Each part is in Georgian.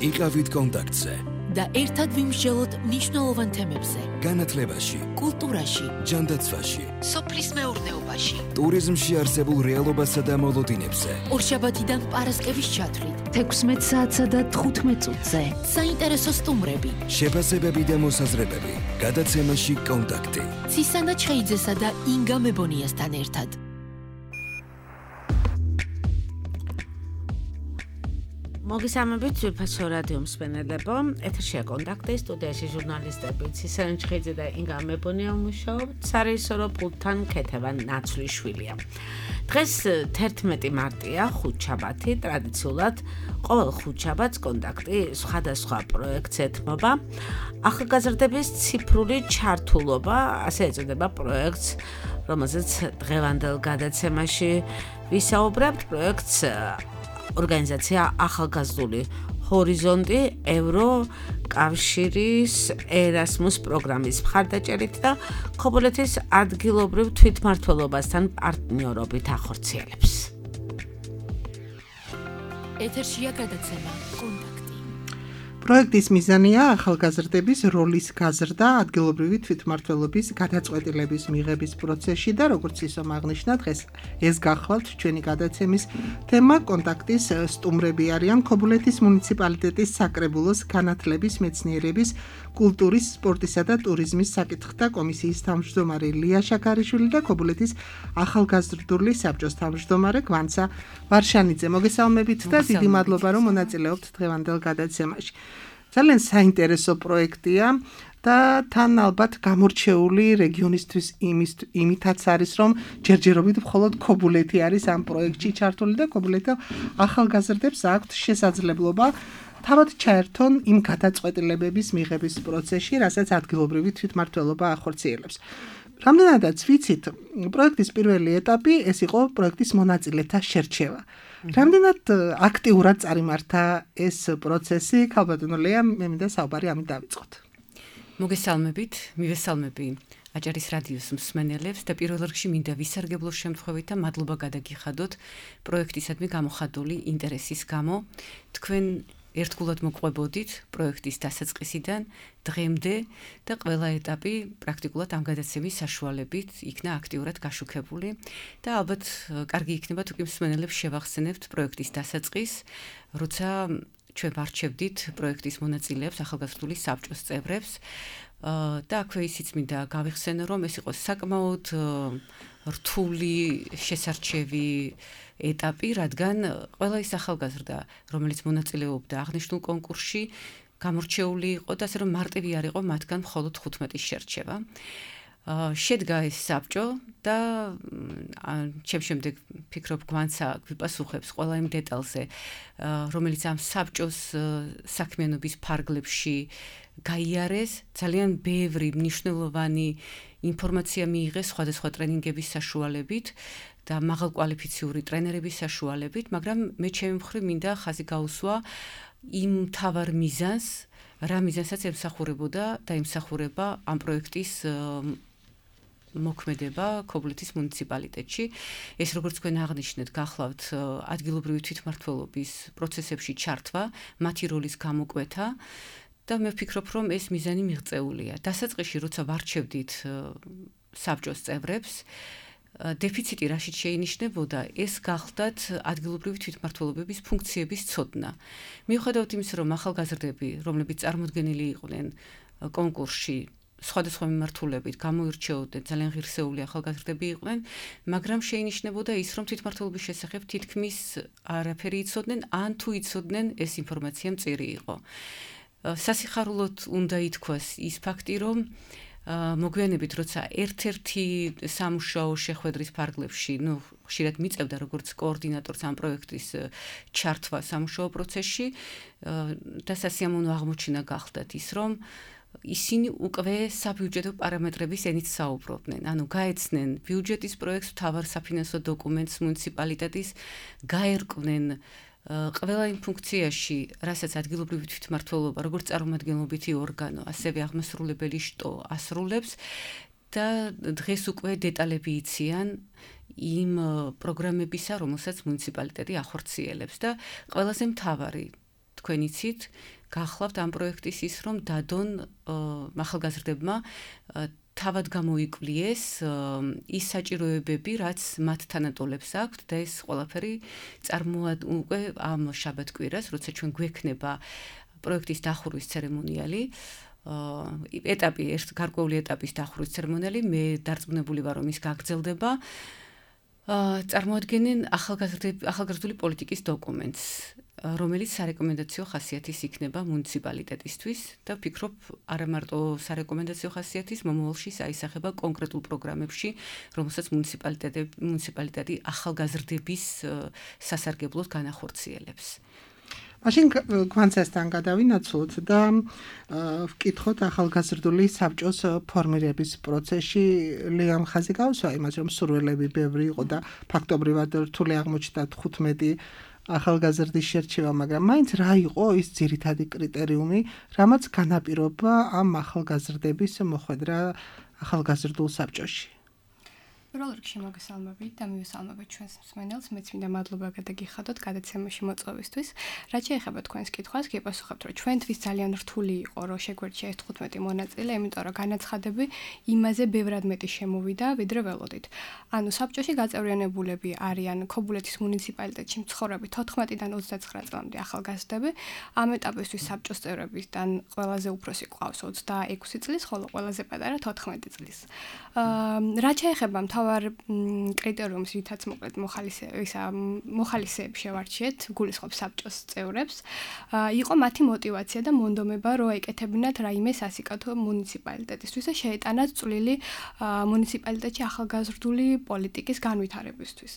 იყავით კონტაქტზე და ერთად ვიმსჯელოთ მნიშვნელოვან თემებზე. განათლებაში, კულტურაში, ჯანდაცვაში, სოფლის მეურნეობაში, ტურიზმში არსებულ რეალობასა და მოლოდინებზე. ორშაბათიდან პარასკევის ჩათვლით, 16 საათსა და 15 წუთზე. საინტერესო სტუმრები, შეფასებები და მოსაზრებები. გადაცემაში კონტაქტი. ცისანა ჩხეიძესა და ინგა მებონიასთან ერთად. მოგესალმებით ძვირფასო რადიო მსმენელებო, ეთერშია კონტაქტი, სტუდიაში ჟურნალისტები ცისანა ჩხეიძე და ინგა მებონია მუშაობთ, სარეჟისორო პულტთან ქეთევან ნაცვლიშვილია. დღეს 11 მარტია, ხუთშაბათი, ტრადიციულად ყოველ ხუთშაბათს კონტაქტი სხვადასხვა პროექტს ეთმობა. ახალგაზრდების ციფრული ჩართულობა, ასე ეწოდება პროექტს, რომელზეც დღევანდელ გადაცემაში ვისაუბრებთ. პროექტს ორგანიზაცია ახალგაზრდული ჰორიზონტი ევროკავშირის ერასმუს პროგრამის მხარდაჭერით და ქობულეთის ადგილობრივ თვითმმართველობასთან პარტნიორობით ახორციელებს. ეთერშია გადაცემა კონტაქტი. პროექტის მიზანია ახალგაზრდების როლის გაზრდა ადგილობრივი თვითმმართველობის გადაწყვეტილების მიღების პროცესში და როგორც ისო აღნიშნა დღეს ეს გახლავთ ჩვენი გადაცემის თემა. კონტაქტის სტუმრები არიან ქობულეთის მუნიციპალიტეტის საკრებულოს განათლების, მეცნიერების, კულტურის, სპორტისა და ტურიზმის საკითხთა კომისიის თავმჯდომარე ლია შაქარიშვილი და ქობულეთის ახალგაზრდული საბჭოს თავმჯდომარე გვანცა ვარშანიძე. მოგესალმებით და დიდი მადლობა რომ მონაწილეობთ დღევანდელ გადაცემაში. ძალიან საინტერესო პროექტია და თან ალბათ გამორჩეული რეგიონისთვის იმითაც არის, რომ ჯერჯერობით მხოლოდ ქობულეთი არის ამ პროექტში ჩართული და ქობულეთის ახალგაზრდებს აქვთ შესაძლებლობა თავად ჩაერთონ იმ გადაწყვეტილებების მიღების პროცესში, რასაც ადგილობრივი თვითმმართველობა ახორციელებს. რამდენადაც ვიცით, პროექტის პირველი ეტაპი ეს იყო პროექტის მონაწილეთა შერჩევა. რამდენად აქტიურად წარიმართა ეს პროცესი? ქალბატონო ლეა, მე მინდა საუბარი ამით დავიწყოთ. მოგესალმებით, მივესალმები აჭარის რადიოს მსმენელებს და პირველ რიგში მინდა ვისარგებლო შემთხვევით და მადლობა გადაგიხადოთ პროექტისადმი გამოხატული ინტერესის გამო. თქვენ ერთგულად მოყვებოდით პროექტის დასაწყისიდან დღემდე და ყველა ეტაპი პრაქტიკულად ამ გადაცემის საშუალებით იქნა აქტიურად გაშუქებული და ალბათ კარგი იქნება თუ კი მსმენელებს შევახსენებთ პროექტის დასაწყისს, როცა ჩვენ ვარჩევდით პროექტის მონაწილეებს, ახალგაზრდული საბჭოს წევრებს და აქვე ისიც მინდა გავიხსენო, რომ ეს იყო საკმაოდ რთული შესარჩევი ეტაპი, რადგან ყველა ის ახალგაზრდა, რომელიც მონაწილეობდა აღნიშნულ კონკურსში, გამორჩეული იყო და ასე რომ მარტივი არ იყო მათგან მხოლოდ 15-ის შერჩევა. შედგა ეს საბჭო და ჩემ შემდეგ ფიქრობ გვანცა გვიპასუხებს ყველა იმ დეტალზე, რომელიც ამ საბჭოს საქმიანობის ფარგლებში გაიარეს. ძალიან ბევრი მნიშვნელოვანი ინფორმაცია მიიღეს სხვადასხვა ტრენინგების საშუალებით და მაღალკვალიფიციური ტრენერების საშუალებით, მაგრამ მე ჩემი მხრივ მინდა ხაზი გაუსვა იმ მთავარ მიზანს, რა მიზანსაც ემსახურებოდა და ემსახურება ამ პროექტის მოქმედება ქობულეთის მუნიციპალიტეტში. ეს როგორც თქვენ აღნიშნეთ, გახლავთ ადგილობრივი თვითმმართველობის პროცესებში ჩართვა, მათი როლის გამოკვეთა და მე ვფიქრობ, რომ ეს მიზანი მიღწეულია. დასაწყისში, როცა ვარჩევდით საბჭოს წევრებს, დეფიციტი რაშიც შეინიშნებოდა, ეს გახლდათ ადგილობრივი თვითმმართველობების ფუნქციების ცოდნა. მიუხედავად იმისა, რომ ახალგაზრდები, რომლებიც წარმოდგენილი იყვნენ კონკურსში, სხვადასხვა მიმართულებით გამოირჩეოდნენ, ძალიან ღირსეული ახალგაზრდები იყვნენ, მაგრამ შეინიშნებოდა ის, რომ თვითმმართველობის შესახებ თითქმის არაფერი იცოდნენ, ან თუ იცოდნენ, ეს ინფორმაცია მწირი იყო. სასიხარულოდ უნდა ითქვას ის ფაქტი, რომ მოგვიანებით, როცა ერთ-ერთი სამუშაო შეხვედრის ფარგლებში, ხშირად მიწევდა როგორც კოორდინატორს ამ პროექტის ჩართვა სამუშაო პროცესში და სასიამოვნო აღმოჩენა გახდათ ის, რომ ისინი უკვე საბიუჯეტო პარამეტრების ენით საუბრობდნენ. ანუ გაეცნენ ბიუჯეტის პროექტს, მთავარ საფინანსო დოკუმენტს მუნიციპალიტეტის, გაერკვნენ ყველა იმ ფუნქციაში, რასაც ადგილობრივი თვითმმართველობა, როგორც წარმომადგენლობითი ორგანო, ასევე აღმასრულებელი შტო ასრულებს და დღეს უკვე დეტალები იციან იმ პროგრამებისა, რომელსაც მუნიციპალიტეტი ახორციელებს და ყველაზე მთავარი თქვენ იცით, გახლავთ ამ პროექტის ის, რომ დადონ ახალგაზრდებმა თავად გამოიკვლიეს ის საჭიროებები, რაც მათ თანატოლებს აქვთ და ეს ყველაფერი უკვე ამ შაბათ-კვირას, როცა ჩვენ გვექნება პროექტის დახურვის ცერემონიალი, გარკვეული ეტაპის დახურვის ცერემონიალი, მე დარწმუნებული ვარ, რომ ის გაგრძელდება. წარმოადგენენ ახალგაზრდული პოლიტიკის დოკუმენტს, რომელიც სარეკომენდაციო ხასიათის იქნება მუნიციპალიტეტისთვის და ვფიქრობ, არა მარტო სარეკომენდაციო ხასიათის, მომავალში აისახება კონკრეტულ პროგრამებში, რომელსაც მუნიციპალიტეტი ახალგაზრდების სასარგებლოდ განახორციელებს. მაშინ გვანცესთან გადავინაცვლოთ და ვკითხოთ ახალგაზრდული საბჭოს ფორმირების პროცესში ლეამ ხაზი გავსვა იმას, რომ სურვილები ბევრი იყო და ფაქტობრივად რთული აღმოჩნდა 15 ახალგაზრდის შერჩევა, მაგრამ მაინც რა იყო ის ძირითადი კრიტერიუმი, რამაც განაპირობა ამ ახალგაზრდების მოხვედრა ახალგაზრდულ საბჭოში? პირველ რიგში მოგესალმებით და მივესალმებით ჩვენს მსმენელს. მეც მინდა მადლობა გადაგიხადოთ გადაცემაში მოწვევისთვის. რაც შეეხება თქვენს კითხვას, გიპასუხებთ, რომ ჩვენთვის ძალიან რთული იყო, რომ შეგვერჩია ეს 15 მონაწილე, იმიტომ რომ განაცხადები იმაზე ბევრად მეტი შემოვიდა, ვიდრე ველოდით. ანუ საბჭოში გაწევრიანებულები არიან ქობულეთის მუნიციპალიტეტში მცხოვრები 14-დან 29 წლამდე ახალგაზრდები. ამ ეტაპისთვის საბჭოს წევრებიდან ყველაზე უფროსი ყავს 26 წლის, ხოლო ყველაზე პატარა 14 წლის. რაც შეეხება მთავარ კრიტერიუმს, რითაც მოკლედ მოხალისეებს შევარჩიეთ, გულისხმობს საბჭოს წევრებს, იყო მათი мотиваცია და მონდომება, რომ ეკეთებინათ რაიმე სასიკათო მუნიციპალიტეტისთვის და შეეტანათ წვლილი მუნიციპალიტეტში ახალგაზრდული პოლიტიკის განვითარებისთვის.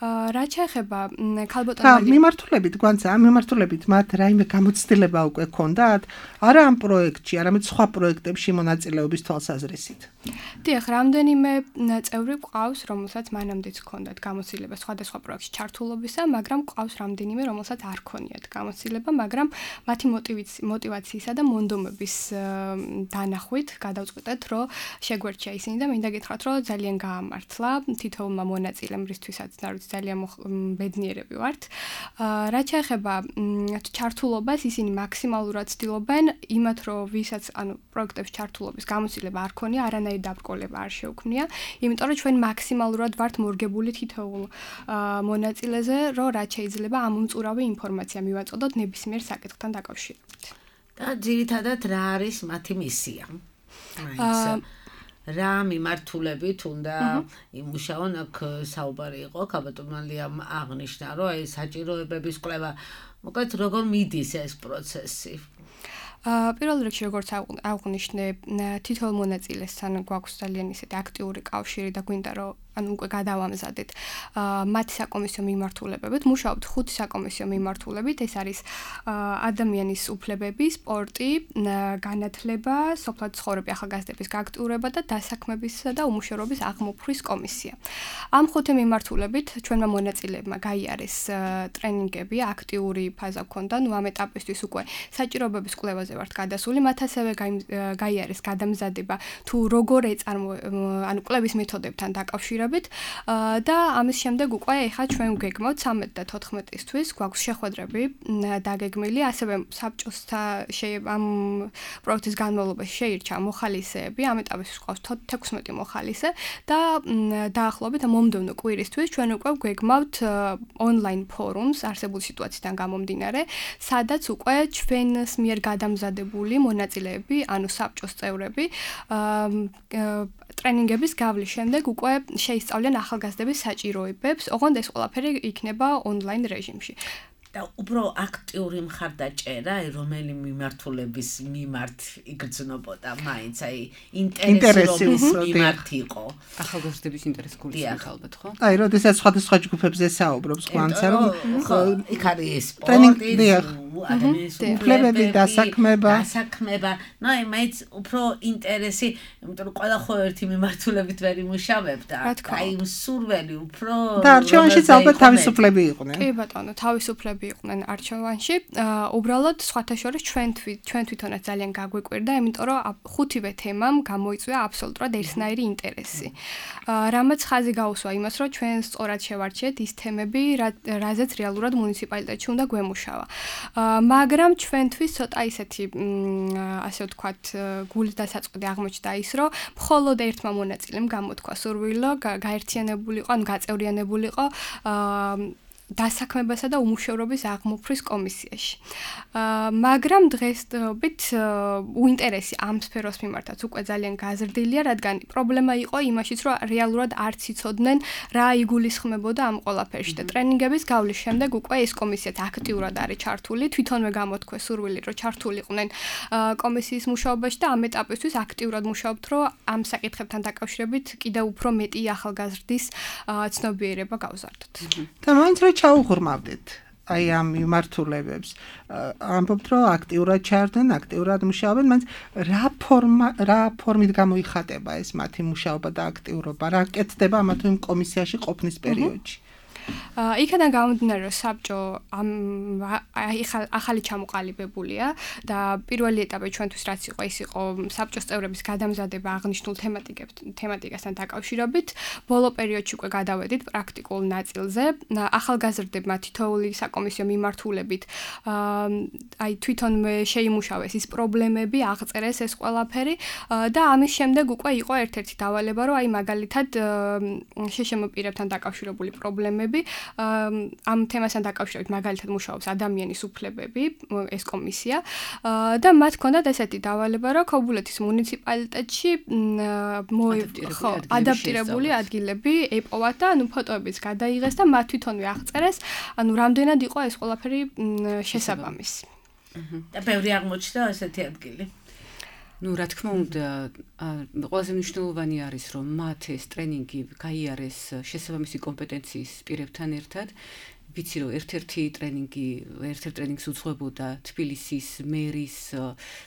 რაც შეეხება ქალბატონი მიმართულებით გვანცა, მიმართულებით მათ რაიმე გამოცდილება უკვე ქონდათ? არა ამ პროექტში, არამედ სხვა პროექტებში მონაწილეობის თვალსაზრისით. დიახ, რამდენიმე წევრი ყავს, რომელსაც მანამდეც ჰქონდათ გამოცდილება სხვადასხვა პროექტში ჩართულობისა, მაგრამ ყავს რამდენიმე, რომელსაც არ ქონიათ გამოცდილება, მაგრამ მათი мотиваციისა და მონდომების დანახვით გადავწყვეტეთ, რომ შეგვერჩია ისინი და მინდა გითხრათ, რომ ძალიან გაამართლა თითოეულმა მონაწილემ, რისთვისაც ძალიან ბედნიერები ვართ. რაც შეეხება ჩართულობას, ისინი მაქსიმალურად ცდილობენ იმათ, რომ ვისაც პროექტებში ჩართულობის გამოცდილება არ ქონია, არანაირი დაბრკოლება არ შეუქმნია, იმიტომ რომ ჩვენ მაქსიმალურად ვართ მორგებული თითოეულ მონაწილეზე, რომ რაც შეიძლება ამომწურავი ინფორმაცია მივაწოდოთ ნებისმიერ საკითხთან დაკავშირებით. და ძირითადად რა არის მათი მისია? რა მიმართულებით უნდა იმუშაონ, აქ საუბარი იყო, ქალბატონიამ აღნიშნა, რომ აი საჭიროებების კვლევა, მოკლედ როგორ მიდის ეს პროცესი? პირველ რიგში როგორც აღვნიშნე, თითოეულ მონაწილესთან გვაქვს ძალიან ისეთი აქტიური კავშირი და გვინდა რომ უკვე გადავამზადეთ მათი საკომისიო მიმართულებებით, მუშაობთ 5 საკომისიო მიმართულებით, ეს არის ადამიანის უფლებები, სპორტი, განათლება, სოფლად ცხოვრები ახალგაზრდების გააქტიურება და დასაქმებისა და უმუშევრობის აღმოფხვის კომისია. ამ 5 მიმართულებით ჩვენმა მონაწილეებმა გაიარეს ტრენინგები, აქტიური ფაზა ჰქონდა, ამ ეტაპისთვის უკვე საჭიროებების კვლევაზე ვართ გადასული, მათ ასევე გაიარეს გადამზადება თუ როგორ კვლევის მეთოდებთან დაკავშირებით და ამის შემდეგ უკვე ეხლა ჩვენ ვგეგმავთ 13 და 14-ისთვის გვაქვს შეხვედრები დაგეგმილი, ასევე საბჭოსთან ამ პროექტის განმავლობაში შეირჩა მოხალისეები, ამ ეტაპისთვის გვაქვს 16 მოხალისე და დაახლოებით მომდევნო კვირისთვის ჩვენ უკვე ვგეგმავთ ონლაინ ფორუმს არსებული სიტუაციიდან გამომდინარე, სადაც უკვე ჩვენს მიერ გადამზადებული მონაწილეები, ანუ საბჭოს წევრები ტრენინგების გავლის შემდეგ უკვე შეისწავლიან ახალგაზრდების საჭიროებებს, ოღონდ ეს ყველაფერი იქნება ონლაინ რეჟიმში. და უფრო აქტიური მხარდაჭერა, რომელი მიმართულების მიმართ იგრძნობოდა, მაინც აი ინტერესის მიმართ იყო. ახალგაზრდების ინტერესი გულისხმობს ალბათ, ხო? აი, როდესაც სხვადასხვა ჯგუფებზე საუბრობს, ყვანცა რომ იქ არის სპორტი, ადამიანის უფლებები, დასაქმება. ნუ აი მაინც უფრო ინტერესი, იმიტომ რომ ყველა ხო ერთი მიმართულებით ვერ იმუშავებდა. აი სურველი უფრო და არჩევანშიც ალბათ თავისუფლები იყვნენ. კი ბატონო, თავისუფლები იყვნენ არჩევანში. უბრალოდ სხვათა შორის ჩვენ თვითონაც ძალიან გაგვიკვირდა, იმიტომ რომ 5-ვე თემამ გამოიწვია აბსოლუტურად ერთნაირი ინტერესი. რამაც ხაზი გაუსვა იმას, რომ ჩვენ სწორად შევარჩიეთ ის თემები, რაზეც რეალურად მუნიციპალიტეტში უნდა გვემუშავა. მაგრამ ჩვენთვის ცოტა ისეთი ასე ვთქვათ გულის დასაწყდი აღმოჩნდა ის რომ მხოლოდ ერთმა მონაწილემ გამოთქვა სურვილო გაერთიანებულიყო ან გაწევრიანებულიყო დასაქმებასა და უმუშევრობის აღმოფხრის კომისიაში. მაგრამ დღესდღეობით უინტერესი ამ სფეროს მიმართაც უკვე ძალიან გაზრდილია, რადგან პრობლემა იყო იმაშიც, რომ რეალურად არც იცოდნენ რა იგულისხმებოდა ამ ყველაფერში და ტრენინგების გავლის შემდეგ უკვე ეს კომისიაც აქტიურად არის ჩართული, თვითონვე გამოთქვეს სურვილი, რომ ჩართულიყვნენ კომისიის მუშაობაში და ამ ეტაპისთვის აქტიურად მუშაობთ, რომ ამ საკითხებთან დაკავშირებით კიდევ უფრო მეტი ახალგაზრდის ცნობიერება გავზარდოთ. და მაინც რა ჩაუღრმავდეთ აი ამ მიმართულებებს ამბობთ რომ აქტიურად ჩარდნენ, აქტიურად მუშაობენ, მაგრამ რა ფორმით გამოიხატება ეს მათი მუშაობა და აქტიურობა, რა კეთდება ამა თუ იმ კომისიაში ყოფნის პერიოდში? იქიდან გამომდინარე რომ საბჭო ახალი ჩამოყალიბებულია და პირველი ეტაპი ჩვენთვის რაც იყო ის იყო საბჭოს წევრების გადამზადება აღნიშნულ თემატიკასთან დაკავშირებით. ბოლო პერიოდში უკვე გადავედით პრაქტიკულ ნაწილზე. ახალგაზრდებმა თითოეული საკომისიო მიმართულებით აი თვითონვე შეიმუშავეს ის პრობლემები, აღწერეს ეს ყველაფერი და ამის შემდეგ უკვე იყო ერთ-ერთი დავალება რომ აი მაგალითად შეშემოპირებთან დაკავშირებული პრობლემები ამ თემასთან დაკავშირებით მაგალითად მუშაობს ადამიანის უფლებები ეს კომისია და მათ ჰქონდათ ესეთი დავალება რომ ქობულეთის მუნიციპალიტეტში ადაპტირებული ადგილები ეპოვათ და ანუ ფოტოებიც გადაიღეს და მათ თვითონვე აღწერეს ანუ რამდენად იყო ეს ყველაფერი შესაბამისი და ბევრი აღმოჩნდა ესეთი ადგილი. რა თქმა უნდა, ყველაზე მნიშვნელოვანი არის, რომ მათ ეს ტრენინგი გაიარეს შესაბამისი კომპეტენციის პირებთან ერთად. ვიცი რომ ერთ-ერთი ტრენინგს უძღვებოდა თბილისის მერის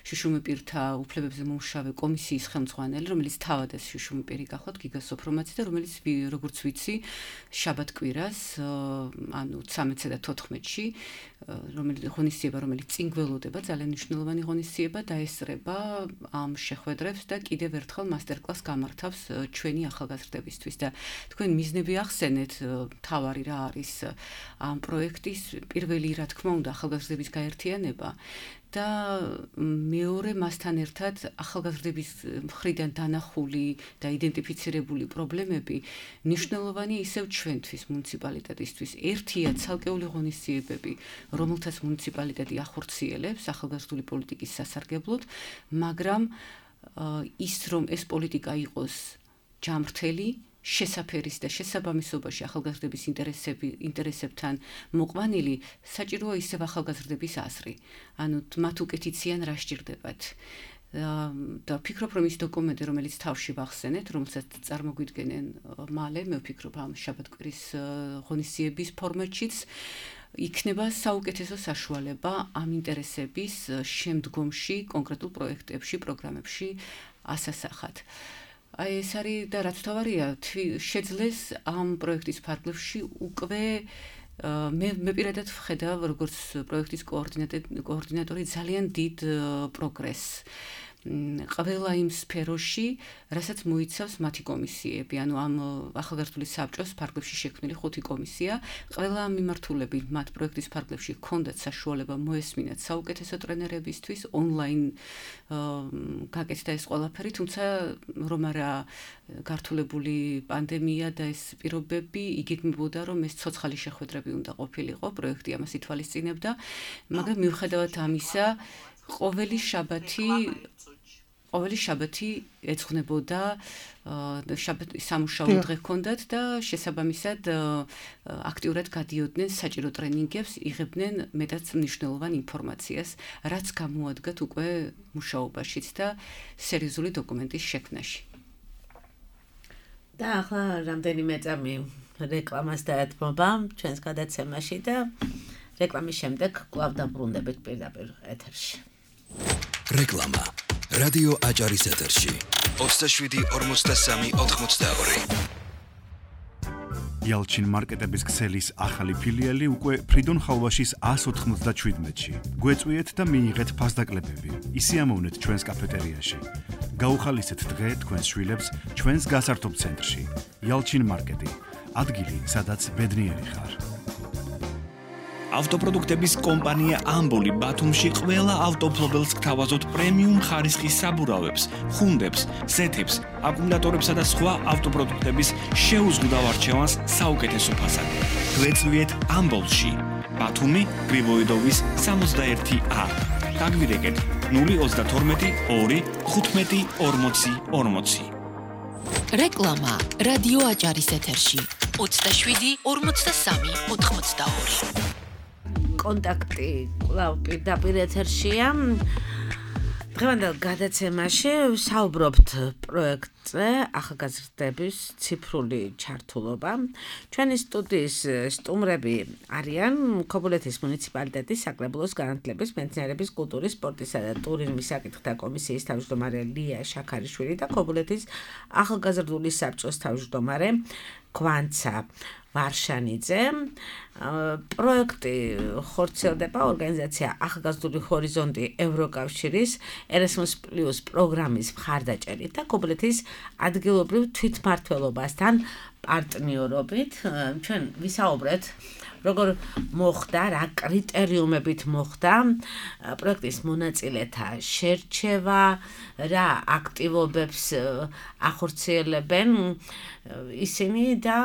შუშუმეპირთა უფლებებზე მომუშავე კომისიის ხელმძღვანელი, რომელიც თავად ეს შუშუმეპირი გახლავთ გიგა სოფრომაცი და რომელიც როგორც ვიცი შაბათ-კვირას, ანუ 13-ე და 14-ში, რომელიც წინ გველოდება, ძალიან მნიშვნელოვანი ღონისძიება დაესწრება ამ შეხვედრებს და კიდევ ერთხელ მასტერკლასს გამართავს ჩვენი ახალგაზრდებისთვის და თქვენ მიზნები ახსენეთ, თავარი რა არის ამ პროექტის პირველი რა თქმა უნდა ახალგაზრდების გაერთიანება და მეორე მასთან ერთად ახალგაზრდების მხრიდან დანახული და იდენტიფიცირებული პრობლემები მნიშვნელოვანი ისევ ჩვენთვის მუნიციპალიტეტისთვის. ერთია ცალკეული ღონისძიებები, რომელთაც მუნიციპალიტეტი ახორციელებს ახალგაზრდული პოლიტიკის სასარგებლოდ, მაგრამ ის რომ ეს პოლიტიკა იყოს ჯამრთელი შესაფერის და შესაბამისობაში ახალგაზრდების ინტერესებთან მოყვანილი, საჭიროა ისევ ახალგაზრდების აზრი. ანუ მათ უკეთიციან რა სჭირდებათ. და ვფიქრობ, რომ ის დოკუმენტი, რომელიც თავში ვახსენეთ, რომელსაც წარმოგვიდგენენ მალე, მე ვფიქრობ ამ შაბათ-კვირის ღონისძიების ფორმატშიც, იქნება საუკეთესო საშუალება ამ ინტერესების შემდგომში კონკრეტულ პროექტებში, პროგრამებში ასასახად. აი ეს არის და რაც თავარია, შეძლეს ამ პროექტის ფარგლებში უკვე მე პირადად ვხედავ როგორც პროექტის კოორდინატორი ძალიან დიდ პროგრესს. ყველა იმ სფეროში, რასაც მოიცავს მათი კომისიები, ანუ ამ ახალგაზრდული საბჭოს ფარგლებში შექმნილი 5 კომისია, ყველა ამ მიმართულებით მათ პროექტის ფარგლებში ჰქონდათ საშუალება მოესმინათ საუკეთესო ტრენერებისთვის, ონლაინ გაკეთდა ეს ყველაფერი, თუმცა რომ არა გართულებული პანდემია და ეს პირობები, იგეგმებოდა რომ ეს ცოცხალი შეხვედრები უნდა ყოფილიყო, პროექტი ამას ითვალისწინებდა, მაგრამ მიუხედავად ამისა, ყოველი შაბათი ეძღვნებოდა სამუშაო დღე ჰქონდათ და შესაბამისად აქტიურად გადიოდნენ საჭირო ტრენინგებს, იღებდნენ მეტად მნიშვნელოვან ინფორმაციას, რაც გამოადგათ უკვე მუშაობაშიც და სერიოზული დოკუმენტის შექმნაში. და ახლა რამდენიმე წამი რეკლამას დაეთმობა ჩვენს გადაცემაში და რეკლამის შემდეგ კვლავ დაბრუნდებით პირდაპირ ეთერში. რეკლამა რადიო აჭარის ეთერში 27-43-82. Yalchin მარკეტების ქსელის ახალი ფილიალი უკვე ფრიდონ ხალვაშის 197-ში. გვეწვიეთ და მიიღეთ ფასდაკლებები. ისიამოვნეთ ჩვენს კაფეტერიაში. გაუხალისეთ დღე თქვენს შვილებს ჩვენს გასართობ ცენტრში. Yalchin მარკეტი. ადგილი, სადაც ბედნიერი ხარ. ავტოპროდუქტების კომპანია ამბოლი ბათუმში ყველა ავტოფლობელს გთავაზობთ პრემიუმ ხარისხის საბურავებს, ხუნდებს, ზეთებს, აკუმულატორებსა და სხვა ავტოპროდუქტების შეუზღუდავ არჩევანს საუკეთესო ფასად. გვეწვიეთ ამბოლში, ბათუმი, გრიბოიდოვის 61A. დაგვირეკეთ 032 2 15 40 40. რეკლამა რადიო აჭარის ეთერში 27 43 82. კონტაქტი კვლავ პირდაპირ ეთერშია. დღევანდელ გადაცემაში საუბრობთ პროექტზე ახალგაზრდების ციფრული ჩართულობა. ჩვენი სტუდიის სტუმრები არიან ქობულეთის მუნიციპალიტეტის საკრებულოს განათლების, მეცნიერების, კულტურის, სპორტისა და ტურიზმის საკითხთა კომისიის თავმჯდომარე ლია შაქარიშვილი და ქობულეთის ახალგაზრდული საბჭოს თავმჯდომარე გვანცა ვარშანიძე. პროექტი ხორციელდება ორგანიზაცია ახალგაზრდული ჰორიზონტი ევროკავშირის Erasmus+ პროგრამის მხარდაჭერით და ქობულეთის ადგილობრივ თვითმმართველობასთან პარტნიორობით. ჩვენ ვისაუბრეთ როგორ მოხდა, რა კრიტერიუმებით მოხდა პროექტის მონაწილეთა შერჩევა, რა აქტივობებს ახორციელებენ ისინი და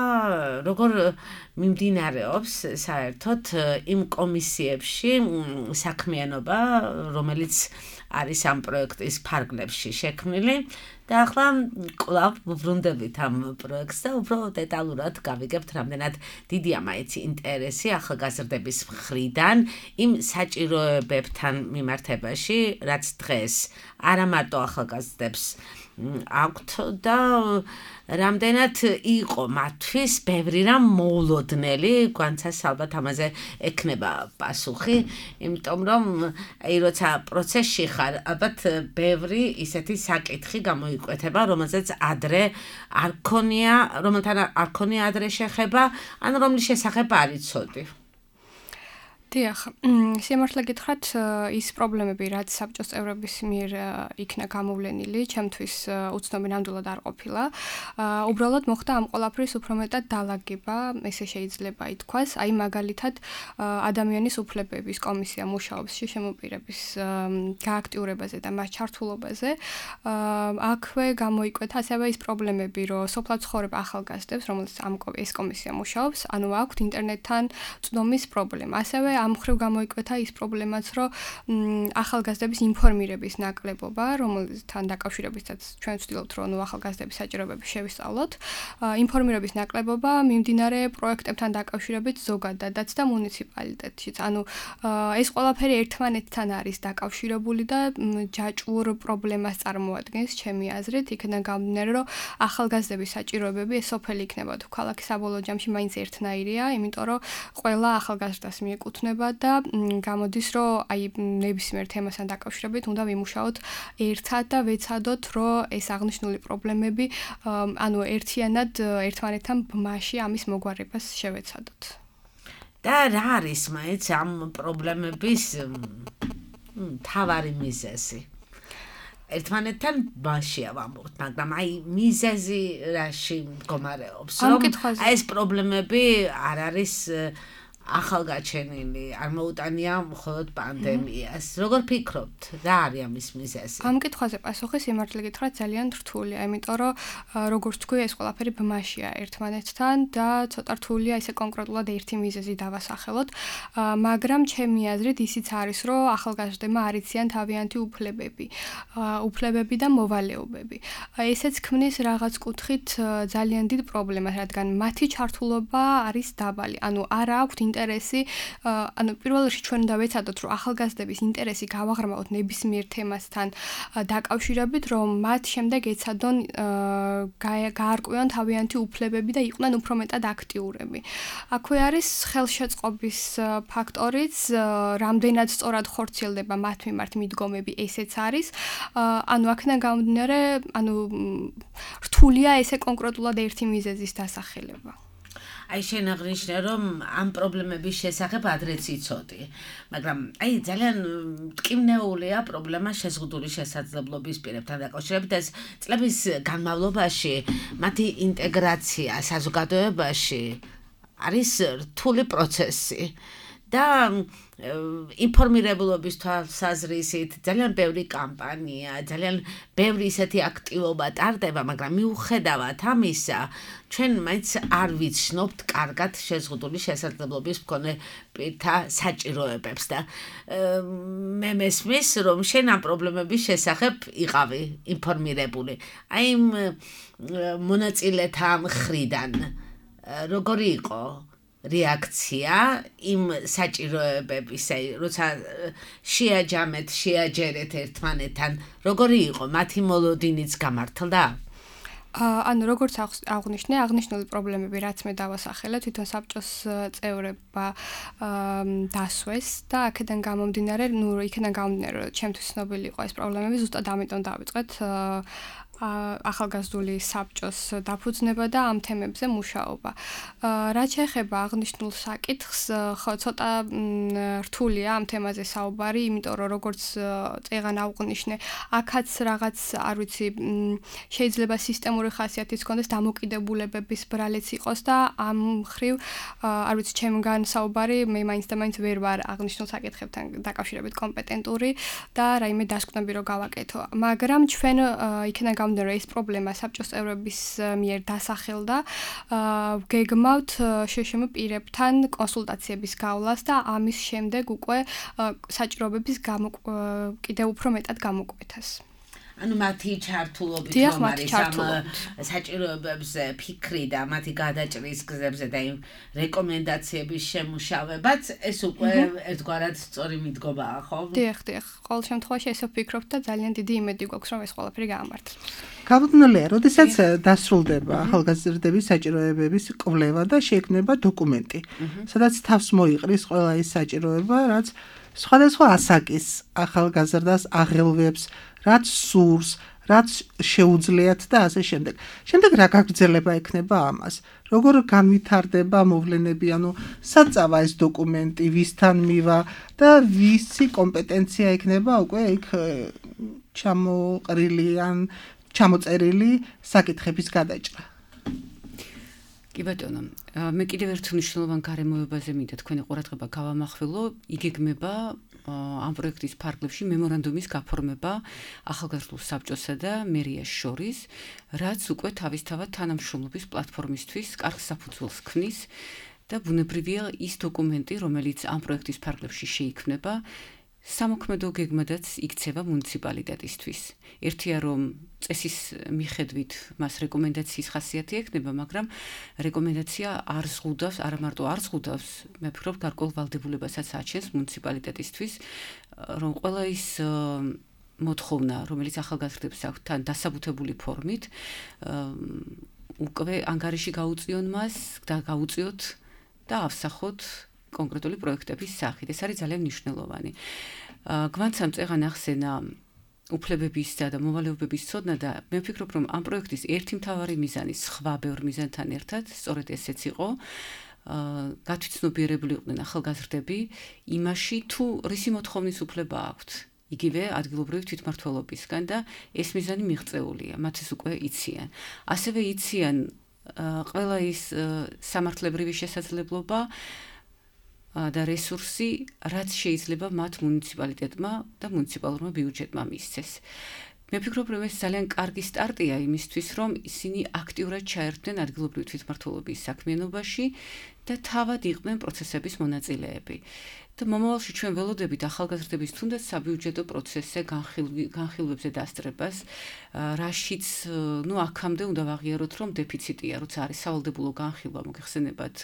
როგორ მიმდინარეობს საერთოდ იმ კომისიებში საქმიანობა, რომელიც არის ამ პროექტის ფარგლებში შექმნილი და ახლა კვლავ ვბრუნდებით ამ პროექტს და უფრო დეტალურად გავიგებთ, რამდენად დიდია მაინც ინტერესი ახალგაზრდების მხრიდან იმ საჭიროებებთან მიმართებაში, რაც დღეს არა მარტო ახალგაზრდებს აქვთ და რამდენად იყო მათთვის ბევრი რამ მოულოდნელი, გვანცას ალბათ ამაზე ექნება პასუხი, იმიტომ რომ როცა პროცესში ხარ, ალბათ ბევრი ისეთი საკითხი გამოიკვეთება, რომელზეც ადრე არ ქონია, რომელთან არ ქონია ადრე შეხება, ან რომლის შესახებ არ იცოდი. დიახ, სიმართლე გითხრათ, ის პრობლემები, რაც საბჭოს წევრების მიერ იქნა გამოვლენილი, ჩემთვის უცნობი ნამდვილად არ ყოფილა. უბრალოდ მოხდა ამ ყველაფრის უფრო მეტად დალაგება, ესე შეიძლება ითქვას, აი მაგალითად ადამიანის უფლებების კომისია მუშაობს შემოპირების გააქტიურებაზე და მას ჩართულობაზე. აქვე გამოიკვეთა ასევე ის პრობლემები, რომ სოფლად ცხოვრებ ახალგაზრდებს, რომელსაც ეს კომისია მუშაობს, ანუ აქვთ ინტერნეტთან წვდომის პრობლემა. ასევე ამ მხრივ გამოიკვეთა ის პრობლემაც, რომ ახალგაზრდების ინფორმირების ნაკლებობა, რომელთან დაკავშირებითაც ჩვენ ვცდილობთ, რომ ახალგაზრდების საჭიროებები შევისწავლოთ, ინფორმირების ნაკლებობა მიმდინარე პროექტებთან დაკავშირებით ზოგადადაც და მუნიციპალიტეტშიც. ანუ ეს ყველაფერი ერთმანეთთან არის დაკავშირებული და ჯაჭვურ პრობლემას წარმოადგენს ჩემი აზრით, იქიდან გამომდინარე, რომ ახალგაზრდების საჭიროებები ეს სოფელი იქნება თუ ქალაქი საბოლოო ჯამში მაინც ერთნაირია, იმიტომ რომ ყველა ახალგაზრდას მიეკუთვნება და გამოდის, რომ აი ნებისმიერ თემასთან დაკავშირებით უნდა ვიმუშაოთ ერთად და ვეცადოთ, რომ ეს აღნიშნული პრობლემები, ანუ ერთიანად ერთმანეთთან ბმაში ამის მოგვარებას შევეცადოთ. და რა არის მაინც ამ პრობლემების მთავარი მიზეზი? ერთმანეთთან ბაშია ვამბობთ, მაგრამ აი მიზეზი რაში მდგომარეობს, რომ აი ეს პრობლემები არ არის ახალგაჩენილი, არ მოუტანია მხოლოდ პანდემიას. როგორ ფიქრობთ, რა არის ამის მიზეზი? ამ კითხვაზე პასუხი სიმართლე გითხრათ ძალიან რთულია, იმიტომ რომ როგორც თქვი, ეს ყველაფერი ბმაშია ერთმანეთთან და ცოტა რთულია ესე კონკრეტულად ერთი მიზეზი დავასახელოთ, მაგრამ ჩემი აზრით ისიც არის, რომ ახალგაზრდებმა არ იციან თავიანთი უფლებები და მოვალეობები. ესეც ქმნის რაღაც კუთხით ძალიან დიდ პრობლემას, რადგან მათი ჩართულობა არის დაბალი, ანუ არ აქვთ ინტერესი, ანუ პირველ რიგში ჩვენ უნდა ვეცადოთ, რომ ახალგაზრდების ინტერესი გავაღრმავოთ ნებისმიერ თემასთან დაკავშირებით, რომ მათ შემდეგ ეცადონ გაარკვევან თავიანთი უფლებები და იყვნენ უფრო მეტად აქტიურები. აქვე არის ხელშეწყობის ფაქტორიც, რამდენად სწორად ხორციელდება მათ მიმართ მიდგომები, ესეც არის. ანუ აქედან გამომდინარე, ანუ რთულია ესე კონკრეტულად ერთი მიზეზის დასახელება. აი შენ აღნიშნე, რომ ამ პრობლემების შესახებ ადრეც იცოდი, მაგრამ აი ძალიან მტკივნეულია პრობლემა შეზღუდული შესაძლებლობის პირებთან დაკავშირებით. ეს წლების განმავლობაში მათი ინტეგრაცია საზოგადოებაში არის რთული პროცესი და ინფორმირებულობის თვალსაზრისით ძალიან ბევრი კამპანია, ძალიან ბევრი ისეთი აქტივობა ტარდება, მაგრამ მიუხედავად ამისა, ჩვენ მაინც არ ვიცნობთ კარგად შეზღუდული შესაძლებლობის მქონე პირთა საჭიროებებს და მე მესმის, რომ შენ ამ პრობლემების შესახებ იყავი ინფორმირებული. აი იმ მონაწილეთა მხრიდან როგორი იყო რეაქცია იმ საჭიროებების, აი როცა შეაჯერეთ ერთმანეთთან, როგორი იყო მათი მოლოდინიც გამართლდა? ანუ როგორც აღნიშნე, აღნიშნული პრობლემები რაც მე დავასახელე, თვითონ საბჭოს წევრებმა დასვეს და აქედან გამომდინარე, რომ ჩემთვის ცნობილი იყო ეს პრობლემები, ზუსტად ამიტომ დავიწყეთ ახალგაზრდული საბჭოს დაფუძნება და ამ თემებზე მუშაობა. რაც შეეხება აღნიშნულ საკითხს, ხო ცოტა რთულია ამ თემაზე საუბარი, იმიტომ რომ როგორც წეღან აღვნიშნე, აქაც რაღაც, არ ვიცი, შეიძლება სისტემური ხასიათის ჰქონდეს, დამოკიდებულებების ბრალიც იყოს და ამ მხრივ, არ ვიცი, ჩემგან საუბარი, მე მაინც და მაინც ვერ ვარ აღნიშნულ საკითხებთან დაკავშირებით კომპეტენტური და რაიმე დასკვნები რო გავაკეთო. მაგრამ ჩვენ იქიდან რომ ეს პრობლემა საბჭოს წევრების მიერ დასახელდა, გეგმავთ შშმ პირებთან კონსულტაციების გავლას და ამის შემდეგ უკვე საჭიროებების კიდევ უფრო მეტად გამოკვეთას. ანუ მათი ჩართულობით რომ არის ამ საჭიროებებზე ფიქრი და მათი გადაჭრის გზებზე და იმ რეკომენდაციების შემუშავებაც ეს უკვე ერთგვარად სწორი მიდგომაა, ხო? დიახ. ყოველ შემთხვევაში ესე ვფიქრობ და ძალიან დიდი იმედი გვაქვს რომ ეს ყველაფერი გაამართლოს. გამოდნელია, როდესაც დასრულდება ახალგაზრდების საჭიროებების კვლევა და შეიქმნება დოკუმენტი, სადაც თავს მოიყრის ყველა ის საჭიროება, რაც სხვადასხვა ასაკის ახალგაზრდას აღელვებს, რაც სურს, რაც შეუძლიათ და ასე შემდეგ. შემდეგ რა გაგრძელება ექნება ამას? როგორ განვითარდება მოვლენები, ანუ საწავა ეს დოკუმენტი, ვისთან მივა და ვისი კომპეტენცია ექნება უკვე იქ ჩამოწერილი საკითხების გადაჭრა. კი ბატონო, მე კიდევ ერთ მნიშვნელოვან გარემოებაზე მინდა თქვენი ყურადღება გავამახვილო, იგეგმება ამ პროექტის ფარგლებში მემორანდუმის გაფორმება ახალგაზრდულ საბჭოსა და მერიას შორის, რაც უკვე თავისთავად თანამშრომლობის პლატფორმისთვის კარგ საფუძველს ქმნის და ბუნებრივია ის დოკუმენტი, რომელიც ამ პროექტის ფარგლებში შეიქმნება, სამოქმედო გეგმადაც იქცევა მუნიციპალიტეტისთვის. ერთია რომ წესის მიხედვით მას რეკომენდაციის ხასიათი ექნება, მაგრამ რეკომენდაცია არ ზღუდავს, არა მარტო არ ზღუდავს, მე ვფიქრობ გარკვეულ ვალდებულებასაც აჩენს მუნიციპალიტეტისთვის, რომ ყველა ის მოთხოვნა, რომელიც ახალგაზრდებს აქვთ თან დასაბუთებული ფორმით, უკვე ანგარიში გაუწიონ მას და გაუწიოთ და ავსახოთ კონკრეტული პროექტების სახით. ეს არის ძალიან მნიშვნელოვანი. გვანცამ წეღან ახსენა უფლებებისა და მოვალეობების ცოდნა და მე ვფიქრობ, რომ ამ პროექტის ერთი მთავარი მიზანი სხვა ბევრ მიზანთან ერთად სწორედ ესეც იყო, გათვითცნობიერებული იყვნენ ახალგაზრდები იმაში, თუ რისი მოთხოვნის უფლება აქვთ. იგივე ადგილობრივი თვითმმართველობისგან და ეს მიზანი მიღწეულია, მათ ეს უკვე იციან. ასევე იციან ყველა ის სამართლებრივი შესაძლებლობა და რესურსი, რაც შეიძლება მათ მუნიციპალიტეტმა და მუნიციპალურმა ბიუჯეტმა მისცეს. მე ვფიქრობ, რომ ეს ძალიან კარგი სტარტია იმისთვის, რომ ისინი აქტიურად ჩაერთვნენ ადგილობრივი თვითმმართველობის საქმიანობაში და თავად იყვნენ პროცესების მონაწილეები. და მომავალში ჩვენ ველოდებით ახალგაზრდების თუნდაც საბიუჯეტო პროცესზე განხილვებზე დასწრებას, რაშიც, აქამდე უნდა ვაღიაროთ, რომ დეფიციტია, როცა არის სავალდებულო განხილვა, მოგეხსენებათ,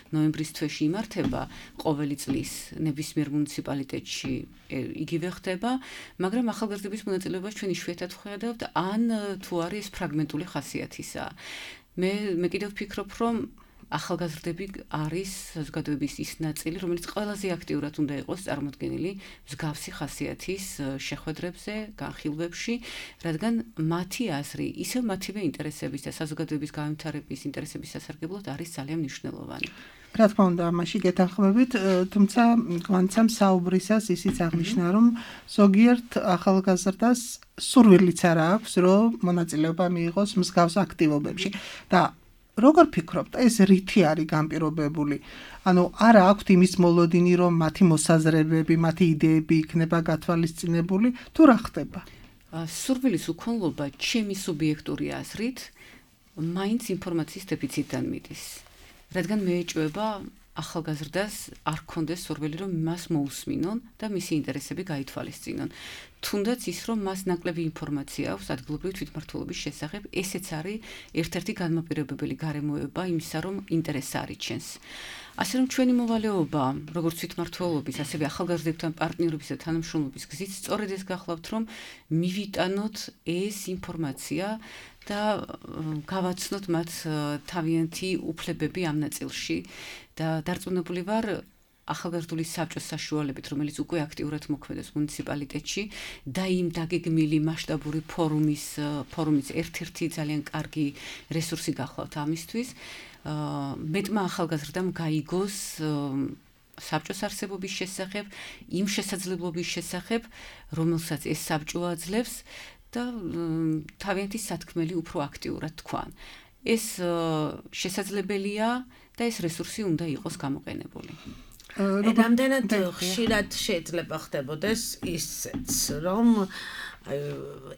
ნოემბრის თვეში იმართება ყოველი წლის ნებისმიერ მუნიციპალიტეტში იგივე ხდება, მაგრამ ახალგაზრდების მონაწილეობას ჩვენ იშვიათად ვხედავთ, ან თუ არის ეს ფრაგმენტული ხასიათისა. მე კიდევ ვფიქრობ, რომ ახალგაზრდები არის საზოგადოების ის ნაწილი, რომელიც ყველაზე აქტიურად უნდა იყოს წარმოდგენილი მსგავსი ხასიათის შეხვედრებზე, განხილვებში, რადგან მათი აზრი, ისევ მათივე ინტერესების და საზოგადოების განვითარების ინტერესების სასარგებლოდ არის ძალიან მნიშვნელოვანი. რა თქმა უნდა, ამაში გეთანხმებით, თუმცა გვანცამ საუბრისას ისიც აღნიშნა, რომ ზოგიერთ ახალგაზრდას სურვილიც არ აქვს, რომ მონაწილეობა მიიღოს მსგავს აქტივობებში და როგორ ფიქრობთ, ეს რითი არის განპირობებული? ანუ არა აქვთ იმის მოლოდინი, რომ მათი მოსაზრებები, მათი იდეები იქნება გათვალისწინებული, თუ რა ხდება? სურვილის უქონლობა ჩემი სუბიექტური აზრით მაინც ინფორმაციის დეფიციტიდან მიდის. რადგან მეეჭვება ახალგაზრდას არ ქონდეს სურვილი, რომ მას მოусმინონ და მისი ინტერესები გაითვალისწინონ. თუნდაც ის, რომ მას ნაკლები ინფორმაცია აქვს ადგილობრივი თვითმმართველობის შესახებ, ესეც არის ერთ-ერთი განმაპირობებელი გარემოება იმისა, რომ ინტერესი არიჩენს. ასე რომ ჩვენი მოვალეობა, როგორც თვითმმართველობის, ასევე ახალგაზრდებთან პარტნიორობის და თანამშრომლობის გზით სწორედ ეს გახლავთ, რომ მივიტანოთ ეს ინფორმაცია და გავაცნოთ მათ თავიანთი უფლებები ამ ნაწილში და დარწმუნებული ვარ ახალგაზრდული საბჭოს საშუალებით, რომელიც უკვე აქტიურად მოქმედებს მუნიციპალიტეტში და იმ დაგეგმილი მასშტაბური ფორუმის ერთ-ერთი ძალიან კარგი რესურსი გახლავთ ამისთვის. მეტმა ახალგაზრდამ გაიგოს საბჭოს არსებობის შესახებ, იმ შესაძლებლობის შესახებ, რომელსაც ეს საბჭო აძლევს და თავიანთი სათქმელი უფრო აქტიურად თქვან. ეს შესაძლებელია და ეს რესურსი უნდა იყოს გამოყენებული. რამდენად ხშირად შეიძლება ხდებოდეს ისიც, რომ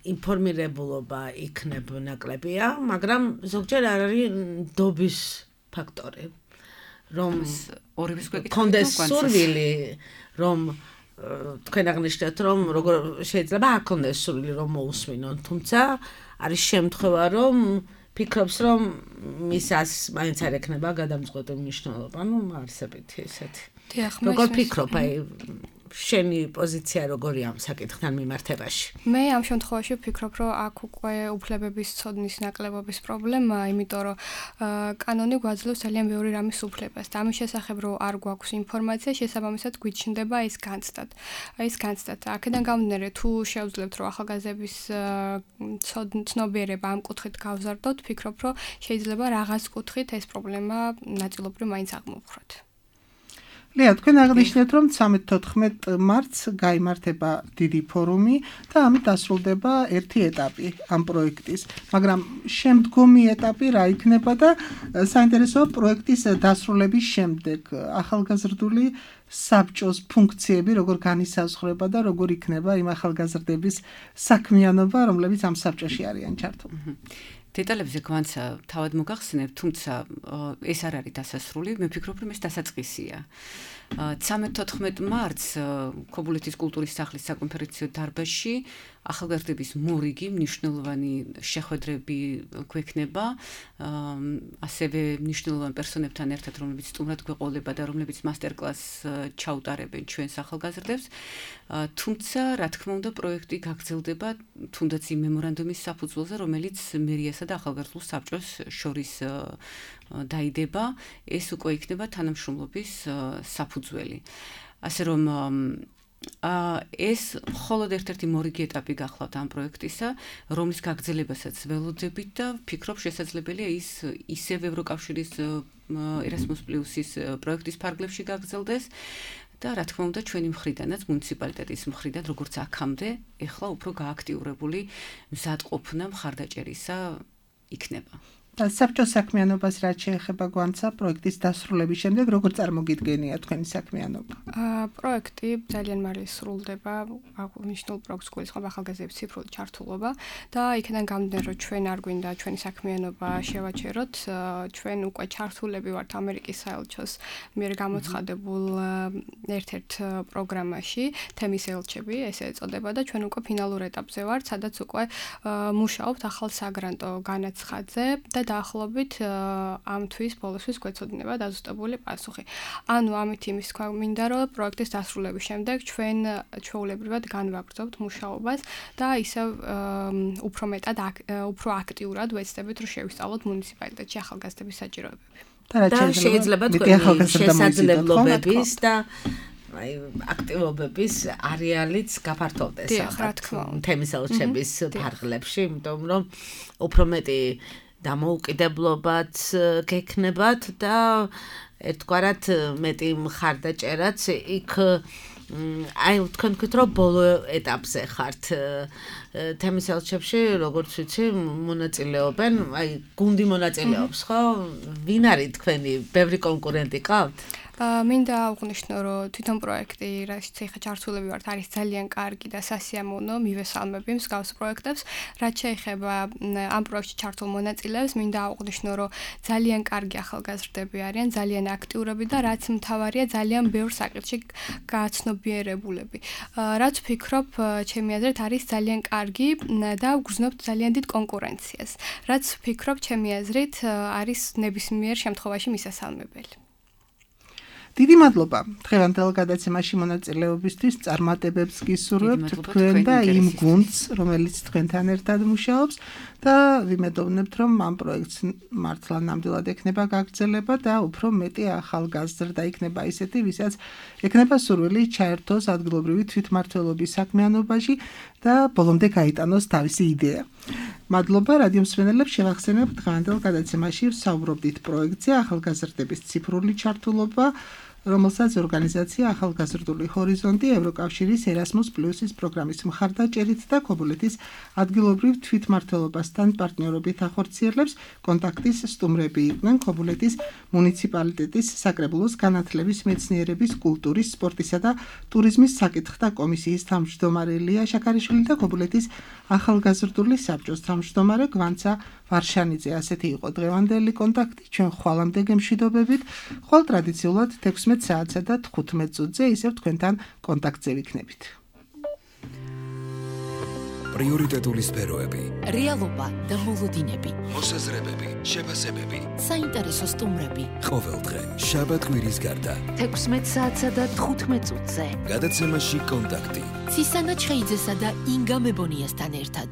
ინფორმირებულობა იქნებ ნაკლებია, მაგრამ ზოგჯერ არ არის ნდობის ფაქტორი, რომ ორივეს კონდეს სურვილი, რომ თქვენ აღნიშნეთ, რომ როგორ შეიძლება არ კონდეს სურვილი, რომ მოусმინონ, თუმცა არის შემთხვევა, რომ ფიქრობს, რომ მისას მაინც არ ექნება გადამწყვეტი მნიშვნელობა, ну, არსებითი ესეთი. როგორ ფიქრობ, აი შენი პოზიცია როგორია ამ საკითხთან მიმართებაში? მე ამ შემთხვევაში ვფიქრობ, რომ აქ უკვე უფლებების ცოდნის ნაკლებობის პრობლემაა, იმიტომ რომ კანონი გვაძლევს ძალიან ბევრი რამის უფლებას და ამის შესახებ რომ არ გვაქვს ინფორმაცია, შესაბამისად გვიჩნდება ეს განცდად. ეს განცდად. აქედან გამომდინარე, თუ შევძლებთ რომ ახალგაზრდების ცნობიერება ამ კუთხით გავზარდოთ, ვფიქრობ, რომ შეიძლება რაღაც კუთხით ეს პრობლემა ნაწილობრივ მაინც აღმოვხვრათ. ლეა, თქვენ აღნიშნეთ, რომ 13-14 მარტს გაიმართება დიდი ფორუმი და ამით დასრულდება ერთი ეტაპი ამ პროექტის. მაგრამ შემდგომი ეტაპი რა იქნება და საინტერესოა პროექტის დასრულების შემდეგ ახალგაზრდული საბჭოს ფუნქციები როგორ განისაზღვრება და როგორ იქნება იმ ახალგაზრდების საქმიანობა, რომლებიც ამ საბჭოში არიან ჩართული. დეტალებზე გვანცა თავად მოგახსენებ, თუმცა ეს არ არის დასასრული, მე ვფიქრობ, რომ ეს დასაწყისია. 13-14 მარტს ქობულეთის კულტურის სახლის საკონფერენციო დარბაზში ახალგაზრდების მორიგი მნიშვნელოვანი შეხვედრები გვექნება, ასევე მნიშვნელოვან პერსონებთან ერთად, რომლებიც სტუმრად გვეყოლება და რომლებიც მასტერკლასს ჩაუტარებენ ჩვენს ახალგაზრდებს. თუმცა, რა თქმა უნდა, პროექტი გაგრძელდება თუნდაც იმ მემორანდუმის საფუძველზე, რომელიც მერიასა და ახალგაზრდულ საბჭოს შორის დაიდება, ეს უკვე იქნება თანამშრომლობის საფუძველი. ასე რომ ეს მხოლოდ ერთ-ერთი მორიგი ეტაპი გახლავთ ამ პროექტისა, რომლის გაგრძელებასაც ველოდებით და ვფიქრობ შესაძლებელია ის ისევ ევროკავშირის Erasmus Plus-ის პროექტის ფარგლებში გაგრძელდეს და რა თქმა უნდა ჩვენი მხრიდანაც მუნიციპალიტეტის მხრიდან როგორც აქამდე, ეხლა უფრო გააქტიურებული მზადყოფნა მხარდაჭერისა იქნება. და საბჭოს საქმიანობას რაც შეეხება გვანცა პროექტის დასრულების შემდეგ როგორ წარმოგიდგენია თქვენი საქმიანობა? პროექტი ძალიან მალე სრულდება, აღნიშნულ პროექტს გულისხმობს ახალგაზრდების ციფრული ჩართულობა და იქიდან გამომდინარე, რომ ჩვენ არ გვინდა ჩვენი საქმიანობა შევაჩეროთ, ჩვენ უკვე ჩართულები ვართ ამერიკის საელჩოს მიერ გამოცხადებულ ერთ-ერთ პროგრამაში, თემის ელჩები, ესე ეწოდება და ჩვენ უკვე ფინალურ ეტაპზე ვართ, სადაც უკვე მუშაობთ ახალ საგრანტო განაცხადზე და დაახლოებით ამ თვის ბოლოსთვის გვეცოდინება დაზუსტებული პასუხი. ანუ ამით იმის თქვა მინდა, რომ პროექტის დასრულების შემდეგ ჩვენ ჩვეულებრივად განვაგრძობთ მუშაობას და ისევ უფრო მეტად უფრო აქტიურად ვეცდებით, რომ შევისწავლოთ მუნიციპალიტეტში ახალგაზრდების საჭიროებები. და შეიძლება თქვენი შესაძლებლობების და აი აქტივობების არეალიც გაფართოვდეს თემის ელჩების ფარგლებში, იმიტომ რომ უფრო მეტი დამოუკიდებლობაც გექნებათ და ერთგვარად მეტი მხარდაჭერაც იქ აი თქვენ თქვით რომ ბოლო ეტაპზე ხართ თემის ელჩებში, როგორც ვიცი, მონაწილეობენ, აი გუნდი მონაწილეობს, ხო? ვინ არის თქვენი ბევრი კონკურენტი ყავთ? მინდა აღვნიშნო, რომ თვითონ პროექტი, რასაც ახლა ჩართულები ვართ, არის ძალიან კარგი და სასიამოვნო, მივესალმები მსგავს პროექტებს. რაც შეეხება ამ პროექტში ჩართულ მონაწილეებს, მინდა აღვნიშნო, რომ ძალიან კარგი ახალგაზრდები არიან, ძალიან აქტიურები და რაც მთავარია, ძალიან ბევრ საკითხში გაცნობიერებულები. რაც ვფიქრობ, ჩემი აზრით არის ძალიან კარგი და ვგრძნობთ ძალიან დიდ კონკურენციას. რაც ვფიქრობ, ჩემი აზრით არის ნებისმიერ შემთხვევაში მისასალმებელი. დიდი მადლობა დღევანდელ გადაცემაში მონაწილეობისთვის, წარმატებებს გისურვებთ თქვენ და იმ გუნდს, რომელიც თქვენთან ერთად მუშაობს და ვიმედოვნებთ, რომ ამ პროექტს მართლა ნამდვილად ექნება გაგრძელება და უფრო მეტი ახალგაზრდა იქნება ისეთი, ვისაც ექნება სურვილი ჩაერთოს ადგილობრივი თვითმმართველობის საქმიანობაში და ბოლომდე გაიტანოს თავისი იდეა. მადლობა რადიო მსმენელებს, შევახსენებ დღევანდელ გადაცემაში ვსაუბრობდით პროექტზე ახალგაზრდების ციფრული ჩართულობა, რომელსაც ორგანიზაცია ახალგაზრდული ჰორიზონტი ევროკავშირის Erasmus+-ის პროგრამის მხარდაჭერით და ქობულეთის ადგილობრივ თვითმმართველობასთან პარტნიორობით ახორციელებს. კონტაქტის სტუმრები იყვნენ ქობულეთის მუნიციპალიტეტის საკრებულოს განათლების, მეცნიერების, კულტურის, სპორტისა და ტურიზმის საკითხთა კომისიის თავმჯდომარე ლია შაქარიშვილი და ქობულეთის ახალგაზრდული საბჭოს თავმჯდომარე გვანცა ვარშანიძე. ასეთი იყო დღევანდელი კონტაქტი. ჩვენ ხვალამდე გემშვიდობებით. ხვალ ტრადიციულად 16 საათსა და 15 წუთზე ისევ თქვენთან კონტაქტზე ვიქნებით. პრიორიტეტული სფეროები, რეალობა და მოლოდინები, მოსაზრებები, შეფასებები, საინტერესო სტუმრები. ყოველდღე შაბათ-კვირის გარდა 16 საათსა და 15 წუთზე. გადაცემაში კონტაქტი. ცისანა ჩხეიძესა და ინგა მებონიასთან ერთად.